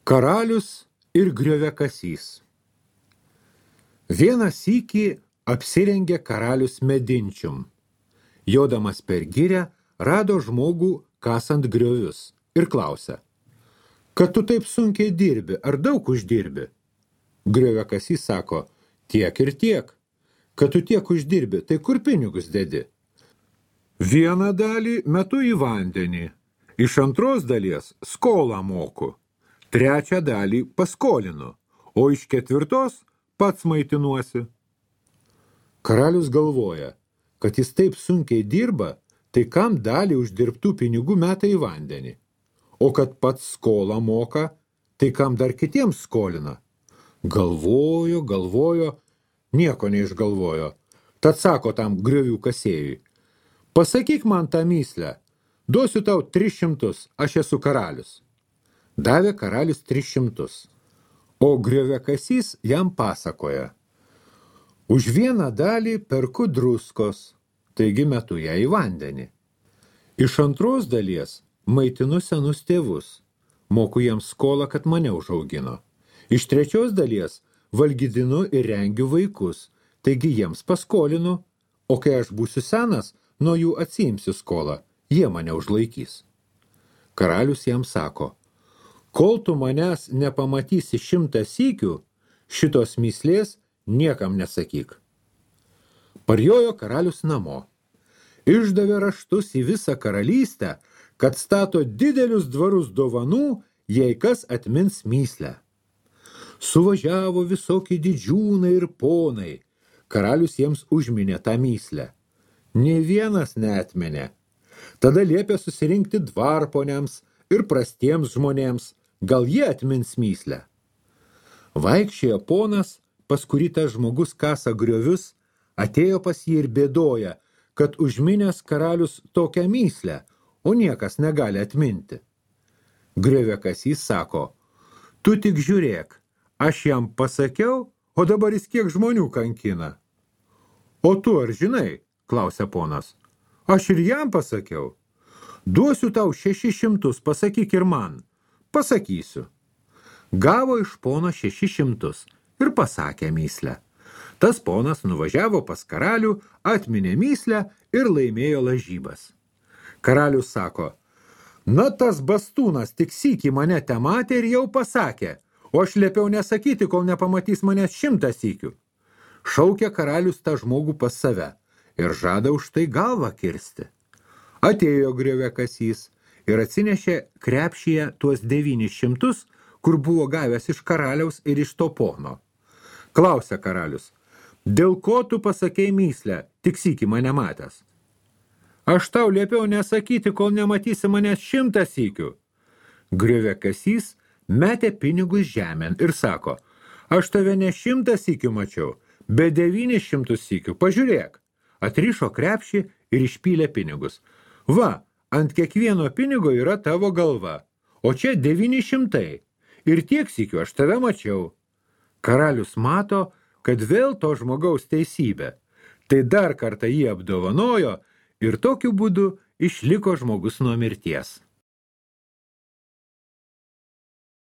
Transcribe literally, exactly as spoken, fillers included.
Karalius ir grioviakasys. Vieną sykį apsirengė karalius medinčium. Jodamas per girią rado žmogų kasant griovius ir klausia: kad tu taip sunkiai dirbi, ar daug uždirbi? Grioviakasys sako: tiek ir tiek. Kad tu tiek uždirbi, tai kur pinigus dedi? Vieną dalį metu į vandenį, iš antros dalies skolą moku, trečią dalį paskolinu, o iš ketvirtos pats maitinuosi. Karalius galvoja, kad jis taip sunkiai dirba, tai kam dalį uždirbtų pinigų meta į vandenį, o kad pats skolą moka, tai kam dar kitiems skolina. Galvojo, galvojo, nieko neišgalvojo. Tad sako tam griovių kasėjui: pasakyk man tą myslę, duosiu tau tris šimtus, aš esu karalius. Davė karalius tris šimtus, o grioviakasys jam pasakoja: už vieną dalį perku druskos, taigi metu ją į vandenį. Iš antros dalies maitinu senus tėvus, moku jiems skolą, kad mane užaugino. Iš trečios dalies valgydinu ir rengiu vaikus, taigi jiems paskolinu, o kai aš būsiu senas, nuo jų atsiimsiu skolą, jie mane užlaikys. Karalius jam sako: kol tu manęs nepamatysi šimtą sykių, šitos myslės niekam nesakyk. Parjojo karalius namo. Išdavė raštus į visą karalystę, kad stato didelius dvarus dovanų, jei kas atmins myslę. Suvažiavo visokie didžiūnai ir ponai. Karalius jiems užminė tą myslę. Nė vienas neatmenė. Tada liepė susirinkti dvarponiams ir prastiems žmonėms, gal jie atmins myslę. Vaikščiojo ponas, pas kurį tas žmogus kasa griovius, atėjo pas jį ir bėdoja, kad užminęs karalius tokią myslę, o niekas negali atminti. Grioviakasys sako: tu tik žiūrėk, aš jam pasakiau, o dabar jis kiek žmonių kankina. O tu ar žinai, klausia ponas, aš ir jam pasakiau. Duosiu tau šešis šimtus, pasakyk ir man. Pasakysiu. Gavo iš pono šešis šimtus ir pasakė myslę. Tas ponas nuvažiavo pas karalių, atminė myslę ir laimėjo lažybas. Karalius sako: na tas bastūnas tik sykį mane tematė ir jau pasakė, o aš liepiau nesakyti, kol nepamatys manęs šimtą sykių. Šaukia karalius tą žmogų pas save ir žada už tai galvą kirsti. Atėjo grioviakasys ir atsinešė krepšyje tuos devynis šimtus, kur buvo gavęs iš karaliaus ir iš to pono. Klausia karalius: dėl ko tu pasakei myslę, tik sykį mane matęs? Aš tau liepiau nesakyti, kol nematysi manęs šimtą sykių. Grioviakasys metė pinigus žemėn ir sako: aš tave ne šimtą sykių mačiau, bet devynis šimtus sykių, pažiūrėk. Atrišo krepšį ir išpylė pinigus. Va, ant kiekvieno pinigo yra tavo galva, o čia devyni šimtai. Ir tiek sykių aš tave mačiau. Karalius mato, kad vėl to žmogaus teisybė. Tai dar kartą jį apdovanojo ir tokiu būdu išliko žmogus nuo mirties.